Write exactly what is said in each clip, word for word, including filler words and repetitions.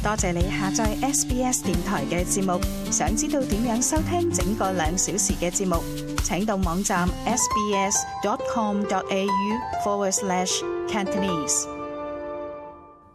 多謝你下載 S B S 電台嘅節目。想知道點樣收聽整個兩小時嘅節目，請到網站 sbs.com.au forward slash Cantonese。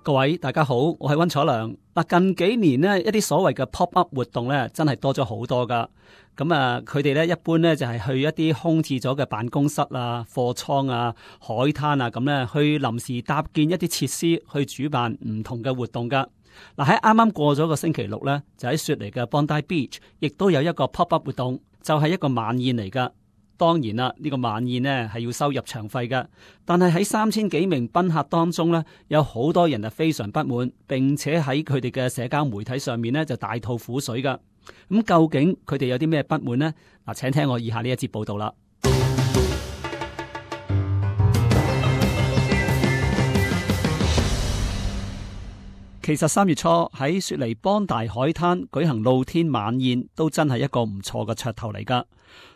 各位大家好，我係溫楚良。嗱，近幾年呢，一啲所謂嘅 pop up 活動咧，真係多咗好多噶。咁啊，佢哋咧一般咧就係去一啲空置咗嘅辦公室啊、貨倉啊、海灘啊咁咧，去臨時搭建一啲設施，去主辦唔同嘅活動噶。嗱，喺啱啱過咗個星期六咧，就喺雪梨嘅 Bondi Beach，亦都有一個 pop up 活動，就係一個晚宴嚟噶。當然啦，呢個晚宴呢係要收入場費嘅，但係喺三千幾名賓客當中呢，有好多人係非常不滿，並且喺佢哋嘅社交媒體上面呢就大吐苦水噶。咁究竟佢哋有啲咩不滿呢？嗱，請聽我以下呢一節報道啦。其實三月初喺雪梨邦大海灘舉行露天晚宴，都真係一個唔錯嘅噱頭嚟噶。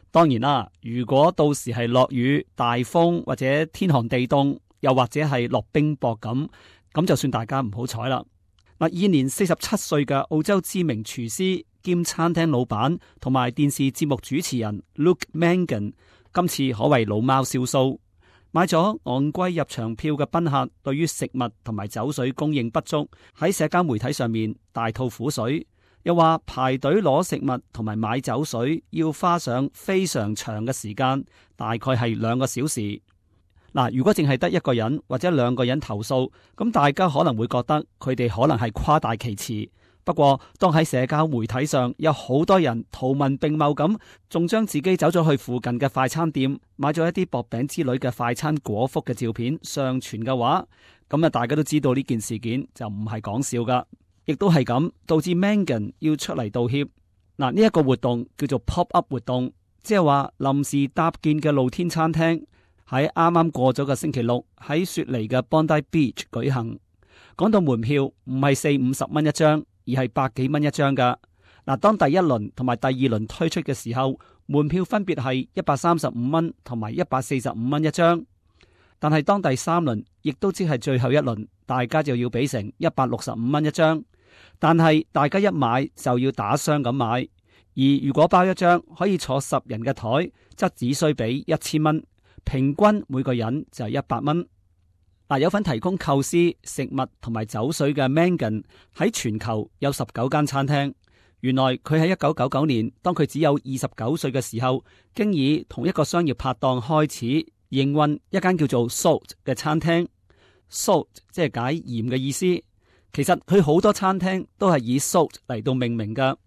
當然啦，如果到時係落雨、大風或者天寒地凍，又或者係落冰雹咁，咁就算大家唔好彩啦。嗱，現年四十七歲嘅澳洲知名廚師兼餐廳老闆同埋電視節目主持人 Luke Mangan， 今次可謂老貓燒鬚，買咗昂貴入場票嘅賓客對於食物同埋酒水供應不足，喺社交媒體上面大吐苦水。又話排隊攞食物同埋買酒水要花上非常長嘅時間，大概係兩個小時。嗱，如果淨係得一個人或者兩個人投訴，咁大家可能會覺得佢哋可能係誇大其詞。不過當喺社交媒體上有好多人圖文並茂咁，仲將自己走咗去附近嘅快餐店買咗一啲薄餅之類嘅快餐果腹嘅照片上傳嘅話，咁啊大家都知道呢件事件就唔係講笑噶。亦都係咁，導致 Mangan 要出嚟道歉。嗱，呢一個活動叫做 pop up 活動，即係話臨時搭建嘅露天餐廳，喺啱啱過咗個星期六喺雪梨嘅 Bondi Beach 舉行。講到門票唔係四五十蚊一張，而係百幾蚊一張噶。嗱，當第一輪同埋第二輪推出嘅時候，門票分別係一百三十五蚊同埋一百四十五蚊一張。但係當第三輪，亦都即係最後一輪，大家就要俾成一百六十五蚊一張。但係大家一買就要打箱咁買，而如果包一張可以坐十人嘅台，則只需俾一千蚊，平均每個人就係一百蚊。嗱，有份提供構思、食物同埋酒水嘅 Mangan 喺全球有十九間餐廳。原來佢喺一九九九年，當佢只有二十九歲嘅時候，經已同一個商業拍檔開始營運一間叫做 Salt 嘅餐廳。Salt 即係解鹽嘅意思。其實佢好多餐廳都係以 Salt 嚟到命名噶。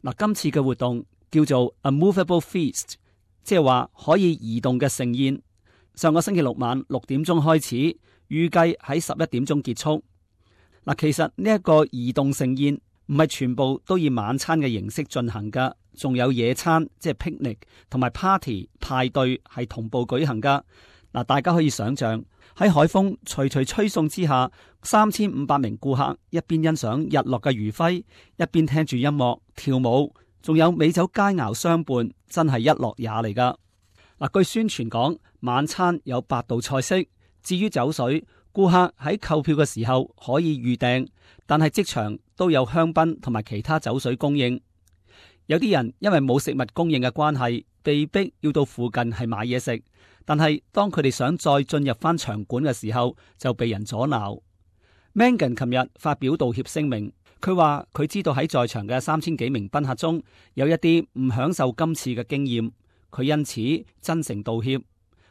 嗱，今次嘅活動叫做 A Movable Feast， 即係話可以移動嘅盛宴。上個星期六晚六點鐘開始，預計喺十一點鐘結束。嗱，其實呢一個移動盛宴唔係全部都以晚餐嘅形式進行噶，仲有野餐即係 picnic 同埋 party 派對係同步舉行噶。嗱，大家可以想象喺海風徐徐吹送之下，三千五百名顧客一邊欣賞日落嘅餘暉，一邊聽住音樂跳舞，仲有美酒佳肴相伴，真係一樂也嚟噶。嗱，據宣傳講，晚餐有八道菜式。至於酒水，顧客喺購票嘅時候可以預訂，但係即場都有香檳同埋其他酒水供應。有啲人因為冇食物供應嘅關係，被逼要到附近係買嘢食。但係當佢哋想再進入翻場館嘅時候，就被人阻撓。Mangan 琴日發表道歉聲明，佢話佢知道喺在，在場嘅三千幾名賓客中有一啲唔享受今次嘅經驗，佢因此真誠道歉。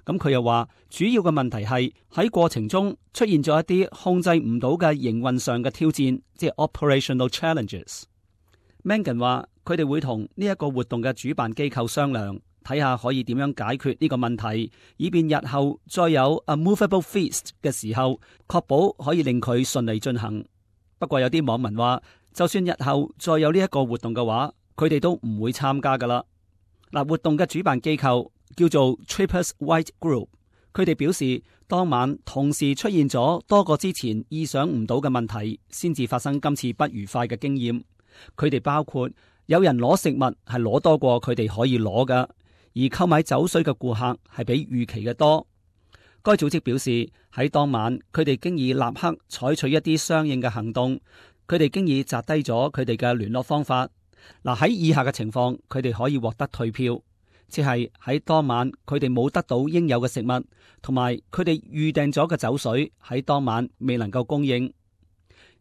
咁佢又話主要嘅問題係喺過程中出現咗一啲控制唔到嘅營運上嘅挑戰，即係 operational challenges。Mangan 話佢哋會同呢一個活動嘅主辦機構商量，睇下可以點樣解決呢個問題，以便日後再有 A Movable Feast 嘅時候，確保可以令佢順利進行。不過有啲網民話，就算日後再有呢一個活動嘅話，佢哋都唔會參加噶啦。嗱，活動嘅主辦機構叫做 Trippers White Group， 佢哋表示當晚同時出現咗多個之前意想唔到嘅問題，先至發生今次不愉快嘅經驗。佢哋包括有人攞食物係攞多過佢哋可以攞噶，而購買酒水嘅顧客係比預期嘅多。該組織表示喺當晚佢哋經已立刻採取一啲相應嘅行動，佢哋經已摘低咗佢哋嘅聯絡方法。嗱，喺以下嘅情況，佢哋可以獲得退票，即係喺當晚佢哋冇得到應有嘅食物，同埋佢哋預訂咗嘅酒水喺當晚未能夠供應。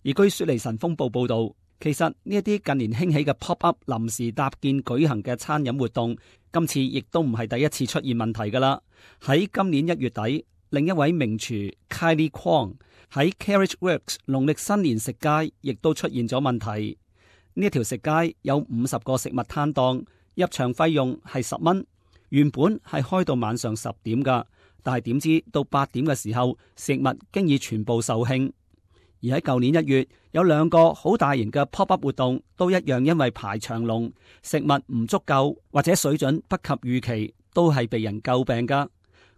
而據雪梨晨鋒報報道，其實呢一啲近年興起嘅 pop-up 臨時搭建舉行嘅餐飲活動，今次亦都唔係第一次出現問題噶啦。喺今年一月底，另一位名廚 Kylie Kwong 喺 Carriage Works 農曆新年食街亦都出現咗問題。呢一條食街有五十個食物攤檔，入場費用係十蚊，原本係開到晚上十點噶，但係點知到八點嘅時候，食物經已全部售罄。而喺舊年一月，有兩個好大型嘅 pop-up 活動，都一樣因為排長龍、食物唔足夠或者水準不及預期，都係被人詬病噶。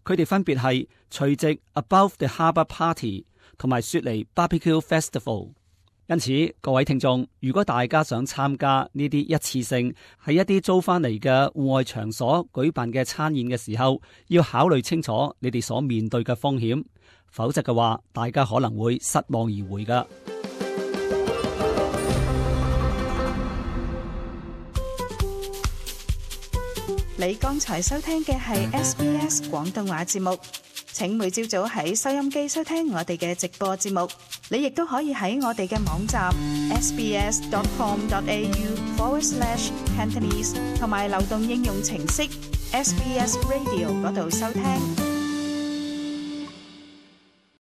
佢哋分別係除夕 Above the Harbour Party 同埋雪梨 Barbecue Festival。因此，各位聽眾，如果大家想參加呢啲一次性喺一啲租翻嚟嘅戶外場所舉辦嘅餐宴嘅時候，要考慮清楚你哋所面對嘅風險，否則嘅話，大家可能會失望而回噶。你剛才收聽嘅係 S B S 廣東話節目，請每朝早喺收音機收聽我哋嘅直播節目。你亦都可以喺我哋嘅網站 sbs.com.au forward slash Cantonese 同埋流動應用程式 S B S Radio 嗰度收聽。